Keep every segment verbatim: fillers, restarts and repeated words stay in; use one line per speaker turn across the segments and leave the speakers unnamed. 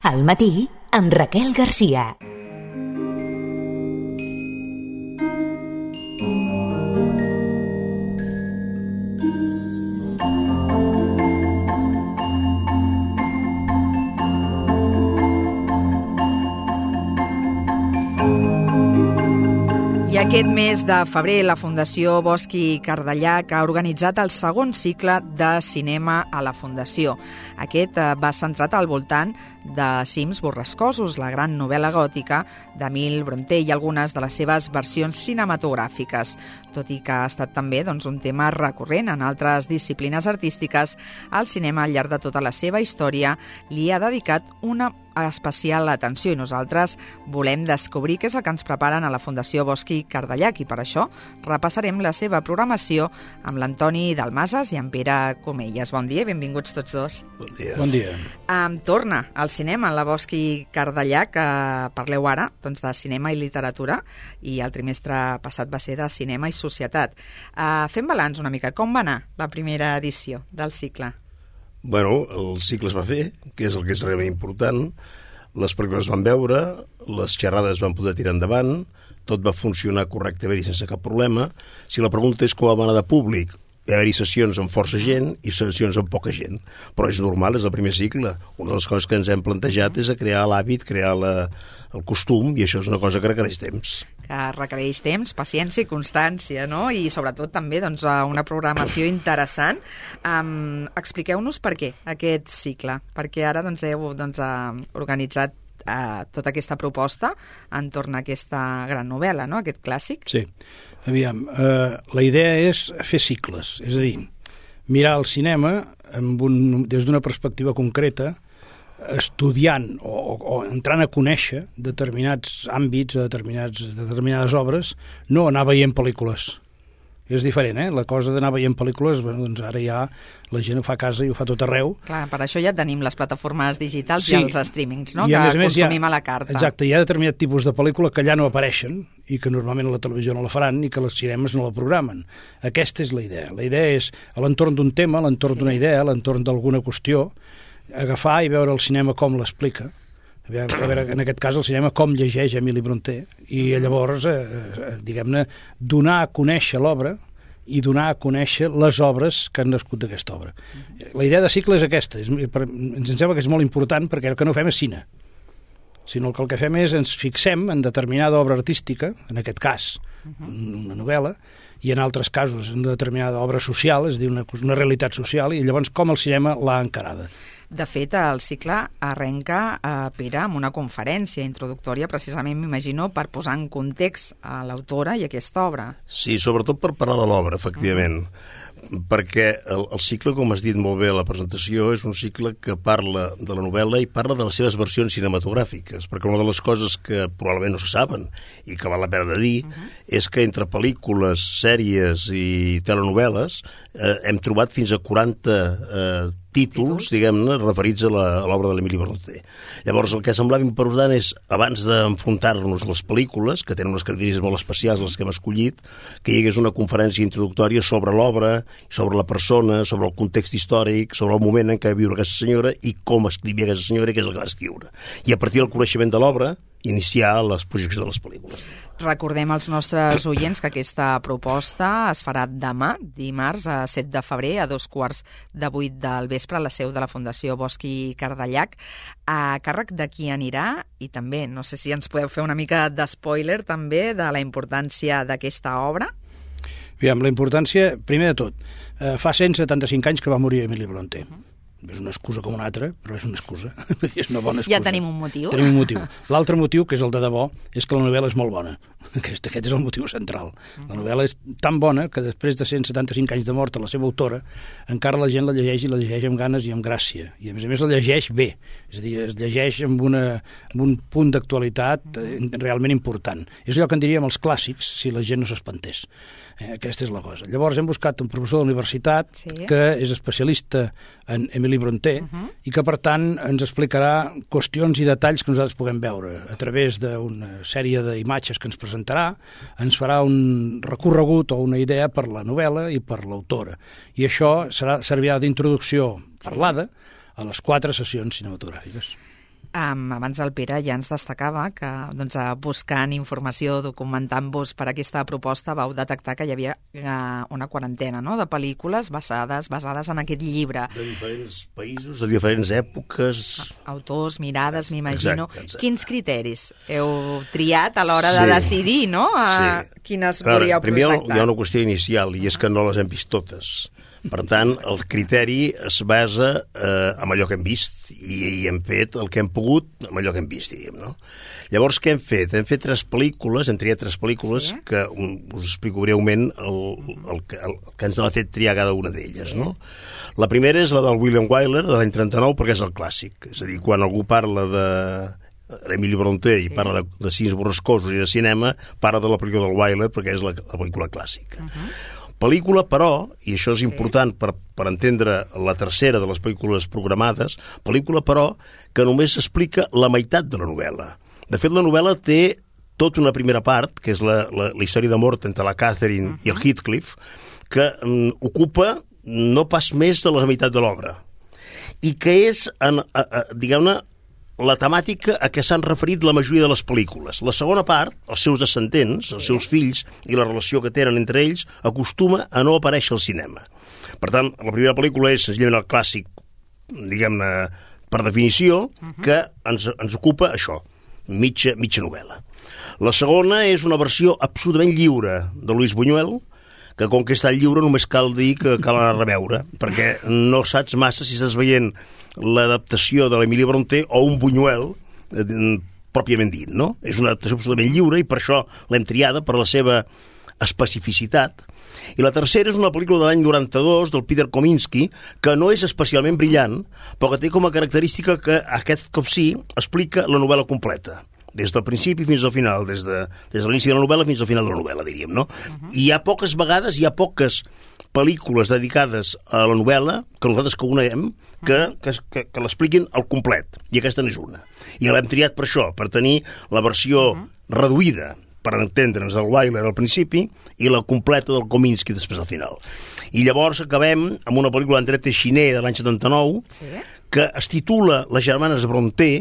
Al matí, amb Raquel Garcia.
I aquest mes de febrer la Fundació Bosch i Cardellac ha organitzat el segon cicle de cinema a la Fundació. Aquest va centrat al voltant de Cims borrascosos, la gran novel·la gòtica d'Emil Brontë i algunes de les seves versions cinematogràfiques. Tot i que ha estat també doncs, un tema recurrent en altres disciplines artístiques, el cinema al llarg de tota la seva història li ha dedicat una especial atenció i nosaltres volem descobrir què és el que ens preparen a la Fundació Bosch i Cardellac i per això repassarem la seva programació amb l'Antoni Dalmases i en Pere Comelles. Bon dia i benvinguts tots dos.
Bon dia.
Bon dia.
Um, torna al cinema en la Bosch i Cardellac. Uh, parleu ara doncs, de cinema i literatura i el trimestre passat va ser de cinema i societat. Uh, fem balanç una mica. Com va anar la primera edició del cicle?
Bueno, el cicle es va fer, que és el que és realment important. Les pel·lícules es van veure, les xerrades van poder tirar endavant, tot va funcionar correctament i sense cap problema. Si la pregunta és com va anar de públic, hi ha sessions amb força gent i sessions amb poca gent. Però és normal, és el primer cicle. Una de les coses que ens hem plantejat és a crear l'hàbit, crear la, el costum, i això és una cosa que requereix temps.
Que requereix temps, paciència i constància, no? I sobretot també doncs, una programació interessant. Um, expliqueu-nos per què aquest cicle, perquè ara doncs, heu doncs, organitzat uh, tota aquesta proposta entorn a aquesta gran novel·la, no? Aquest clàssic.
Sí. Aviam, eh, la idea és fer cicles, és a dir, mirar el cinema amb un, des d'una perspectiva concreta, estudiant o, o, o entrant a conèixer determinats àmbits, determinats, determinades obres, no anar veient pel·lícules. És diferent, eh? La cosa d'anar veient pel·lícules, bueno, doncs ara ja la gent ho fa a casa i ho fa tot arreu.
Clar, per això ja tenim les plataformes digitals sí, i els streamings, no?
I a
que
més a més
consumim
ha,
a la carta.
Exacte, hi ha determinat tipus de pel·lícula que allà no apareixen i que normalment a la televisió no la faran i que els cinemes no la programen. Aquesta és la idea. La idea és, a l'entorn d'un tema, a l'entorn sí. d'una idea, a l'entorn d'alguna qüestió, agafar i veure el cinema com l'explica. A veure, en aquest cas, el cinema com llegeix Emili Brontë i llavors, eh, diguem-ne, donar a conèixer l'obra i donar a conèixer les obres que han nascut d'aquesta obra. La idea de cicle és aquesta. És, per, ens sembla que és molt important perquè el que no fem és cine, sinó que el que fem és ens fixem en determinada obra artística, en aquest cas, una novel·la, i en altres casos en determinada obra social, és a dir, una, una realitat social, i llavors com el cinema l'ha encarada.
De fet, el cicle arrenca, eh, Pere, amb una conferència introductòria, precisament, m'imagino, per posar en context a l'autora i aquesta obra.
Sí, sobretot per parlar de l'obra, efectivament. Uh-huh. Perquè el, el cicle, com has dit molt bé a la presentació, és un cicle que parla de la novel·la i parla de les seves versions cinematogràfiques, perquè una de les coses que probablement no se saben i que val la pena de dir uh-huh. és que entre pel·lícules, sèries i telenovel·les eh, hem trobat fins a quaranta eh, títols, diguem-ne, referits a l'obra de l'Emili Brontë. Llavors, el que semblava important és, abans d'enfrontar-nos a les pel·lícules, que tenen unes característiques molt especials, les que hem escollit, que hi hagués una conferència introductòria sobre l'obra, sobre la persona, sobre el context històric, sobre el moment en què va viure aquesta senyora i com escrivia aquesta senyora i què és el que va escriure. I a partir del coneixement de l'obra, iniciar les projeccions de les pel·lícules.
Recordem als nostres oients que aquesta proposta es farà demà, dimarts, a set de febrer, a dos quarts de vuit del vespre, a la seu de la Fundació Bosch i Cardellac. A càrrec de qui anirà? I també, no sé si ens podeu fer una mica d'espoiler també de la importància d'aquesta obra.
Aviam, la importància, primer de tot, eh, fa cent setanta-cinc anys que va morir Emili Brontë. Uh-huh. És una excusa com una altra, però és una excusa. És una bona excusa.
Ja tenim un motiu.
Tenim un motiu. L'altre motiu, que és el de debò, és que la novel·la és molt bona. Aquest, aquest és el motiu central. La novel·la és tan bona que després de cent setanta-cinc anys de mort a la seva autora, encara la gent la llegeix i la llegeix amb ganes i amb gràcia. I a més a més la llegeix bé. És a dir, es llegeix amb, una, amb un punt d'actualitat realment important. És allò que en diríem els clàssics si la gent no s'espantés. Eh, aquesta és la cosa. Llavors hem buscat un professor de la universitat sí. que és especialista en Emili Brontë uh-huh. i que per tant ens explicarà qüestions i detalls que nosaltres puguem veure a través d'una sèrie d'imatges que ens presentarà, ens farà un recorregut o una idea per la novel·la i per l'autora. I això serà servirà d'introducció parlada a les quatre sessions cinematogràfiques.
Um, abans el Pere ja ens destacava que doncs, buscant informació, documentant-vos per aquesta proposta, vau detectar que hi havia uh, una quarantena, no?, de pel·lícules basades basades en aquest llibre.
De diferents països, de diferents èpoques...
Autors, mirades, m'imagino.
Exacte, exacte.
Quins criteris heu triat a l'hora sí. de decidir, no?, a
sí.
quines
Clar,
volíeu
primer
projectar?
Hi ha una qüestió inicial, i és que no les hem vist totes. Per tant, el criteri es basa eh, en allò que hem vist i, i hem fet el que hem pogut amb allò que hem vist, diríem, no? Llavors, què hem fet? Hem fet tres pel·lícules, hem triat tres pel·lícules sí. que um, us explico breument el, el, que, el que ens ha fet triar cada una d'elles, sí. no? La primera és la del William Wyler, de l'any trenta-nou, perquè és el clàssic. És a dir, quan algú parla de Emili Brontë i sí. parla de, de cims borrascosos i de cinema, parla de la pel·lícula del Wyler perquè és la, la pel·lícula clàssica. Uh-huh. Pel·lícula, però, i això és important per, per entendre la tercera de les pel·lícules programades, pel·lícula, però, que només explica la meitat de la novel·la. De fet, la novel·la té tota una primera part, que és la, la, la història d'amor entre la Catherine uh-huh. i el Heathcliff, que um, ocupa no pas més de la meitat de l'obra. I que és, en, a, a, diguem-ne, la temàtica a què s'han referit la majoria de les pel·lícules. La segona part, els seus descendents, els seus fills i la relació que tenen entre ells, acostuma a no aparèixer al cinema. Per tant, la primera pel·lícula és senzillament el clàssic, diguem-ne, per definició, que ens, ens ocupa això, mitja, mitja novel·la. La segona és una versió absolutament lliure de Luis Buñuel, que com que està lliure només cal dir que cal anar a reveure, perquè no saps massa si estàs veient l'adaptació de l'Emili Brontë o un Buñuel eh, pròpiament dit, no? És una adaptació absolutament lliure i per això l'hem triada, per la seva especificitat. I la tercera és una pel·lícula de l'any noranta-dos del Peter Kominsky, que no és especialment brillant, però que té com a característica que aquest cop sí explica la novel·la completa, des del principi fins al final, des de, des de l'inici de la novel·la fins al final de la novel·la, diríem, no? Uh-huh. I hi ha poques vegades, hi ha poques pel·lícules dedicades a la novel·la, que nosaltres que coneguem, que, que, que, que l'expliquin al complet, i aquesta n'és una. I l'hem triat per això, per tenir la versió uh-huh. reduïda, per entendre'ns, el Wyler al principi, i la completa del Kominsky després al final. I llavors acabem amb una pel·lícula d'André Téchiné de l'any setanta-nou, sí. que es titula Les germanes Brontë,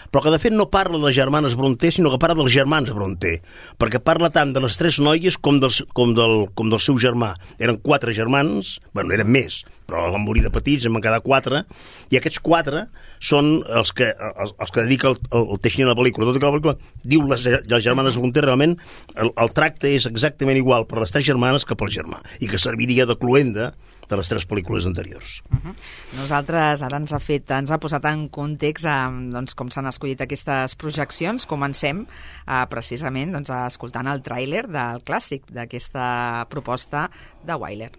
però que de fet no parla de les germanes Brontë, sinó que parla dels germans Brontë, perquè parla tant de les tres noies com, dels, com, del, com del seu germà. Eren quatre germans, bueno, eren més, però van morir de petits, en van quedar quatre, i aquests quatre són els que, els, els que dedica el, el, el Téchiné a la pel·lícula. Tot i que la pel·lícula diu les, les germanes Brontë, realment el, el tracte és exactament igual per les tres germanes que pel germà, i que serviria de cluenda de les tres pel·lícules anteriors.
Uh-huh. Nosaltres ara ens ha fet, ens ha posat en context eh, doncs, com s'han escollit aquestes projeccions. Comencem eh, precisament doncs, escoltant el tràiler del clàssic d'aquesta proposta de Wyler.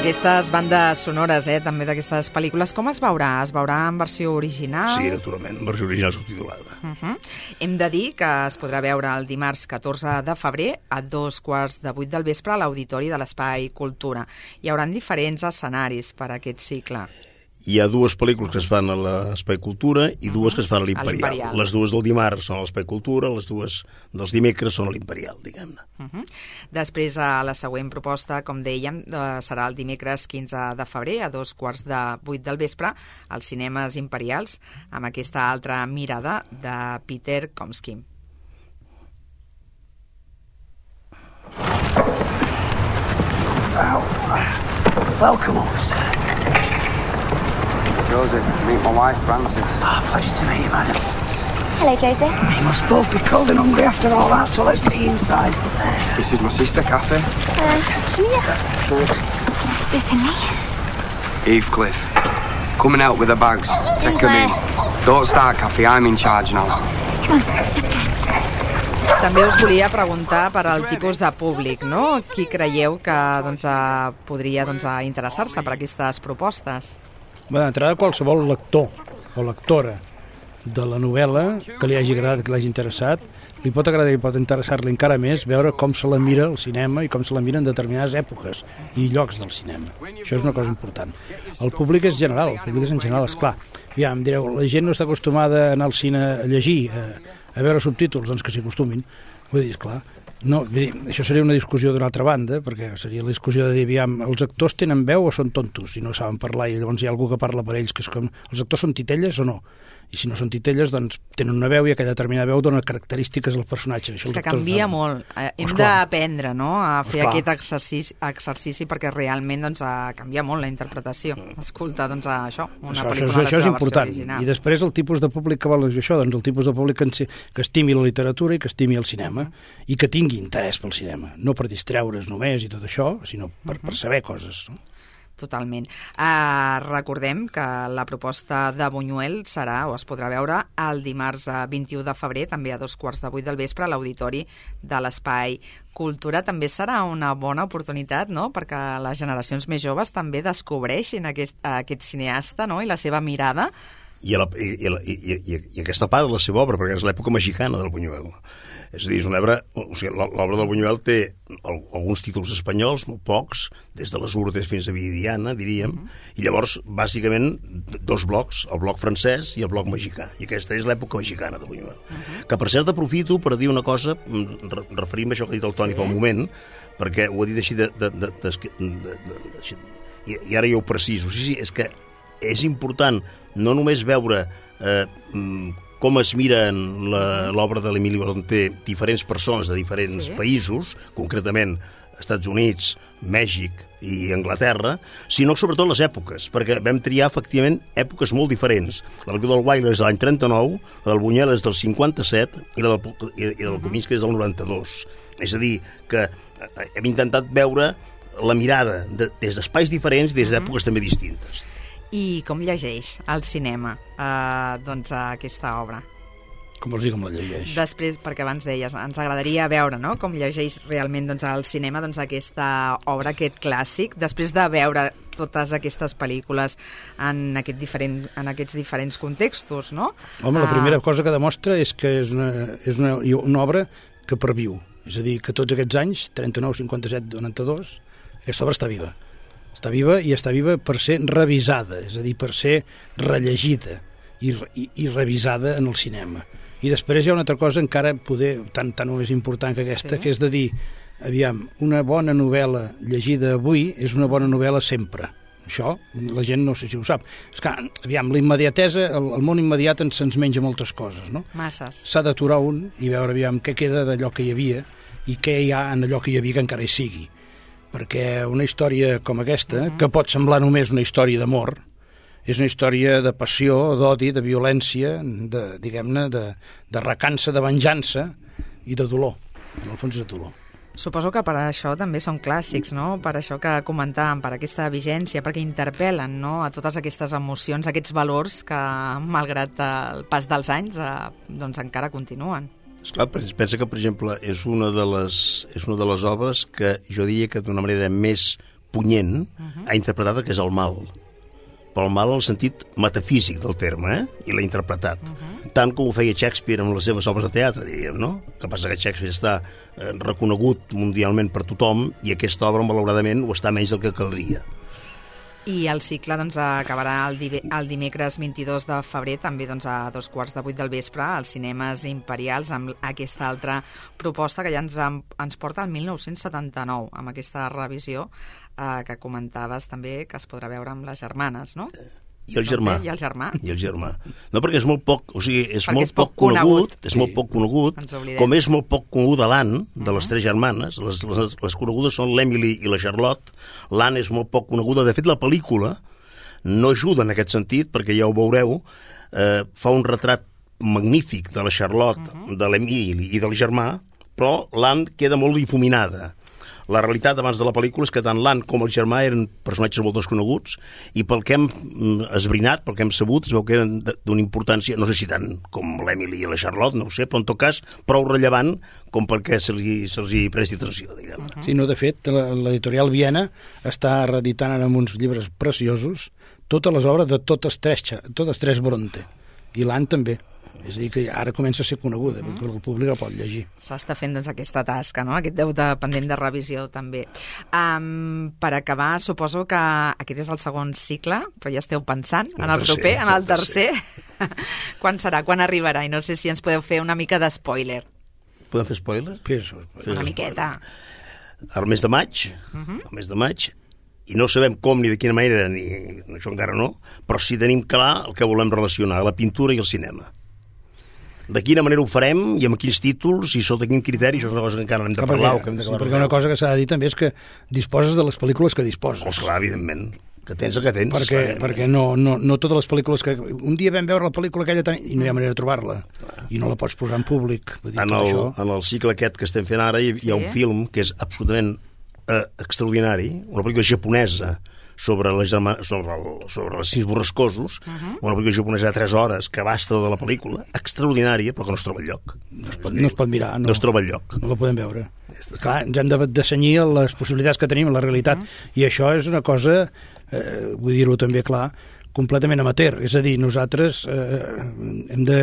Aquestes bandes sonores, eh, també d'aquestes pel·lícules, com es veurà? Es veurà en versió original?
Sí, naturalment, en versió original subtitulada.
Uh-huh. Hem de dir que es podrà veure el dimarts catorze de febrer a dos quarts de vuit del vespre a l'Auditori de l'Espai Cultura. Hi haurà diferents escenaris per a aquest cicle.
Hi ha dues pel·lícules que es fan a l'Espai Cultura i dues que es fan a l'Imperial. Les dues del dimarts són a l'Espai Cultura, les dues dels dimecres són a l'Imperial, diguem-ne.
Uh-huh. Després, a la següent proposta, com dèiem, serà el dimecres quinze de febrer a dos quarts de vuit del vespre als cinemes Imperials, amb aquesta altra mirada de Peter Kominsky.
Well, welcome, officer.
Joseph, meet my wife, Frances.
Ah, oh, pleasure to meet you, madam.
Hello, Joseph.
We must both be cold and hungry after all that, so let's get you inside.
This is my sister, Kathy.
Uh, Julia. Is this Henry?
Heathcliff. Come and help with the bags. Take them in. Don't start, Kathy. I'm in charge now.
Come on, let's go.
També us volia preguntar per al tipus de públic, no? Qui creieu que doncs, podria doncs, interessar-se per aquestes propostes?
Bé, d'entrada, qualsevol lector o lectora de la novel·la que li hagi agradat, que l'hagi interessat, li pot agradar i pot interessar-li encara més veure com se la mira el cinema i com se la mira en determinades èpoques i llocs del cinema. Això és una cosa important. El públic és general, el públic és en general, esclar. Ja em direu, la gent no està acostumada a anar al cine a llegir, a, a veure subtítols, doncs que s'hi acostumin. Vull dir, esclar, no, vull dir, això seria una discussió d'una altra banda, perquè seria la discussió de dir, aviam, els actors tenen veu o són tontos i no saben parlar, i llavors hi ha algú que parla per ells, que és com, els actors són titelles o no? I si no són titelles, doncs tenen una veu i aquella determinada veu dona característiques al personatge. Això
és que canvia saben. molt. Eh, hem d'aprendre, no?, a fer Esclar. aquest exercici, exercici perquè realment doncs, canvia molt la interpretació. Escolta, doncs, això, una
això,
pel·lícula
això, això és important.
Original.
I després el tipus de públic que vol això, doncs el tipus de públic que, que estimi la literatura i que estimi el cinema, uh-huh. i que tingui interès pel cinema. No per distreure's només i tot això, sinó per, uh-huh. per saber coses, no?
Totalment. Uh, recordem que la proposta de Buñuel serà, o es podrà veure, el dimarts vint-i-u de febrer, també a dos quarts de vuit del vespre, a l'Auditori de l'Espai Cultura. També serà una bona oportunitat, no?, perquè les generacions més joves també descobreixin aquest, aquest cineasta, no?, i la seva mirada.
I, a la, i, i, i, i, i aquesta part de la seva obra, perquè és l'època mexicana del Buñuel. És a dir, és una obra, o sigui, l'obra del Buñuel té alguns títols espanyols, molt pocs, des de les Urdes fins a Viridiana, diríem, uh-huh. i llavors, bàsicament, dos blocs, el bloc francès i el bloc mexicà. I aquesta és l'època mexicana de Buñuel. Uh-huh. Que, per cert, aprofito per dir una cosa, referint-me a això que ha dit el Toni sí. fa un moment, perquè ho ha dit així de... de, de, de, de, de, de així, i, i ara ja ho preciso. Sí, sí, és que és important no només veure... Eh, com es miren l'obra de l'Emili Brontë diferents persones de diferents sí. països, concretament Estats Units, Mèxic i Anglaterra, sinó sobretot les èpoques, perquè vam triar efectivament èpoques molt diferents. La del Wilder és de l'any trenta-nou, la del Buñuel és del cinquanta-set i la del, i, i del Kominsky és del noranta-dos. És a dir, que hem intentat veure la mirada de, des d'espais diferents, des d'èpoques també distintes.
I com llegeix al cinema eh, doncs, aquesta obra?
Com vols dir com la llegeix?
Després, perquè abans deies, ens agradaria veure, no?, com llegeix realment doncs, al cinema doncs, aquesta obra, aquest clàssic, després de veure totes aquestes pel·lícules en, aquest diferent, en aquests diferents contextos, no?
Home, la primera cosa que demostra és que és una, és una, una obra que perviu. És a dir, que tots aquests anys, trenta-nou, cinquanta-set, noranta-dos, aquesta obra està viva. Està viva i està viva per ser revisada, és a dir, per ser rellegida i, i, i revisada en el cinema. I després hi ha una altra cosa encara poder, tan, tan o més important que aquesta, sí. que és de dir, aviam, una bona novel·la llegida avui és una bona novel·la sempre. Això la gent no sé si ho sap. És que, aviam, la immediatesa, el, el món immediat ens, ens menja moltes coses, no?
Masses.
S'ha d'aturar un i veure, aviam, què queda d'allò que hi havia i què hi ha en allò que hi havia que encara hi sigui. Perquè una història com aquesta, uh-huh. que pot semblar només una història d'amor, és una història de passió, d'odi, de violència, de, diguem-ne, de, de recança, de venjança i de dolor. En el fons és de dolor.
Suposo que per això també són clàssics, no? Per això que comentàvem, per aquesta vigència, perquè interpel·len, no?, a totes aquestes emocions, aquests valors que, malgrat el pas dels anys, eh, doncs encara continuen.
Esclar, pensa que, per exemple, és una de les, és una de les obres que jo diria que d'una manera més punyent uh-huh. ha interpretat que és el mal. Però el mal en el sentit metafísic del terme, eh? I l'ha interpretat. Uh-huh. Tant com ho feia Shakespeare amb les seves obres de teatre, diríem, no? El que passa que Shakespeare està eh, reconegut mundialment per tothom i aquesta obra, malauradament, ho està menys del que caldria.
I el cicle doncs, acabarà el, di el dimecres vint-i-dos de febrer, també doncs, a dos quarts de vuit del vespre, als cinemes imperials, amb aquesta altra proposta que ja ens, ens porta al mil nou-cents setanta-nou, amb aquesta revisió eh, que comentaves també, que es podrà veure amb les germanes, no?
I el germà.
I el germà.
I el germà. No, perquè és molt poc, o sigui, és
perquè
molt
és poc
poc conegut,
conegut.
és
sí.
molt poc conegut, com és molt poc coneguda l'Anne, de uh-huh. les tres germanes, les, les, les conegudes són l'Emily i la Charlotte, l'Anne és molt poc coneguda, de fet la pel·lícula no ajuda en aquest sentit, perquè ja ho veureu, eh, fa un retrat magnífic de la Charlotte, uh-huh. de l'Emily i del germà, però l'Anne queda molt difuminada. La realitat abans de la pel·lícula és que tant l'Anne com el germà eren personatges molt desconeguts i pel que hem esbrinat, pel que hem sabut, es veu que eren d'una importància, no sé si tant com l'Emily i la Charlotte, no ho sé, però en tot cas prou rellevant com perquè se'ls se hi presti atenció, diguem.
Sí, no, de fet, l'editorial Viena està reeditant amb uns llibres preciosos totes les obres de totes tres, totes tres Bronte, i l'Anne també. És a dir, que ara comença a ser coneguda, mm. perquè el públic el pot llegir.
S'està fent doncs, aquesta tasca, no? Aquest deute pendent de revisió també. Um, per acabar, suposo que aquest és el segon cicle, però ja esteu pensant en el proper, en el tercer. Quan serà? Quan arribarà? I no sé si ens podeu fer una mica de spoiler.
Podem fer spoiler?
Sí,
una miqueta.
Al mes de maig, uh-huh. al mes de maig, i no sabem com ni de quina manera, ni això encara no, però sí tenim clar el que volem relacionar, la pintura i el cinema. De quina manera ho farem i amb quins títols i sota quin criteri, això és una cosa que encara hem de parlar.
Perquè,
que hem de
sí, perquè una cosa que s'ha de dir també és que disposes de les pel·lícules que disposes.
Oh, clar, evidentment, que tens el que tens.
Perquè, perquè no, no, no totes les pel·lícules que... Un dia vam veure la pel·lícula aquella i no hi ha manera de trobar-la. I no la pots posar en públic. Vull dir,
en, el, en el cicle aquest que estem fent ara hi, hi ha un film que és absolutament eh, extraordinari, una pel·lícula japonesa sobre, la, sobre, el, sobre els sis borrascosos, uh-huh. una pel·lícula japonesa de tres hores que basta de la pel·lícula, extraordinària, però que no es troba enlloc.
No es pot, no es pot mirar. No,
no es troba enlloc.
No la podem veure. Clar, ens hem de, de cenyir les possibilitats que tenim, la realitat, uh-huh. i això és una cosa, eh, vull dir-ho també clar, completament amateur, és a dir, nosaltres eh, hem de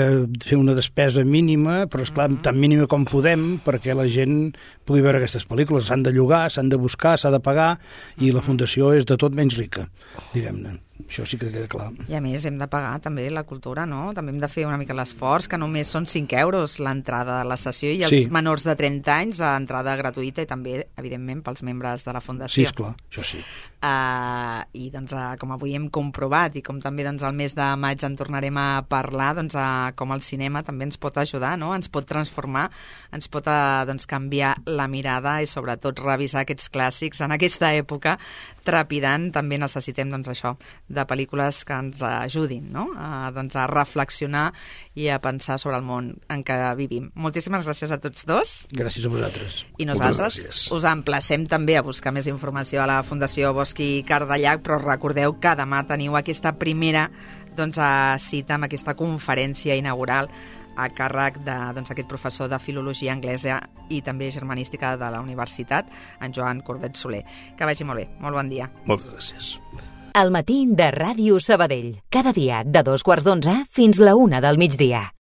fer una despesa mínima, però esclar, uh-huh. tan mínima com podem, perquè la gent pugui veure aquestes pel·lícules. S'han de llogar, s'han de buscar, s'ha de pagar, i la fundació és de tot menys rica, diguem-ne. Això sí que queda clar.
I a més hem de pagar també la cultura, no? També hem de fer una mica l'esforç, que només són cinc euros l'entrada a la sessió i els sí. menors de trenta anys a entrada gratuïta i també, evidentment, pels membres de la Fundació.
Sí, esclar, això sí.
Uh, I doncs, uh, com avui hem comprovat i com també doncs, al mes de maig en tornarem a parlar, doncs, uh, com el cinema també ens pot ajudar, no? Ens pot transformar, ens pot uh, doncs, canviar la mirada i sobretot revisar aquests clàssics en aquesta època trepidant. També necessitem doncs, això, de pel·lícules que ens ajudin, no? A, doncs, a reflexionar i a pensar sobre el món en què vivim. Moltíssimes gràcies a tots dos.
Gràcies a vosaltres.
I nosaltres us emplacem també a buscar més informació a la Fundació Bosch i Cardellac, però recordeu que demà teniu aquesta primera doncs, cita amb aquesta conferència inaugural a càrrec de doncs, aquest professor de filologia anglesa i també germanística de la universitat, en Joan Corbet Soler. Que vagi molt bé. Molt bon dia.
Moltes gràcies.
El matí de Ràdio Sabadell. Cada dia de dos quarts d'onze fins la una del migdia.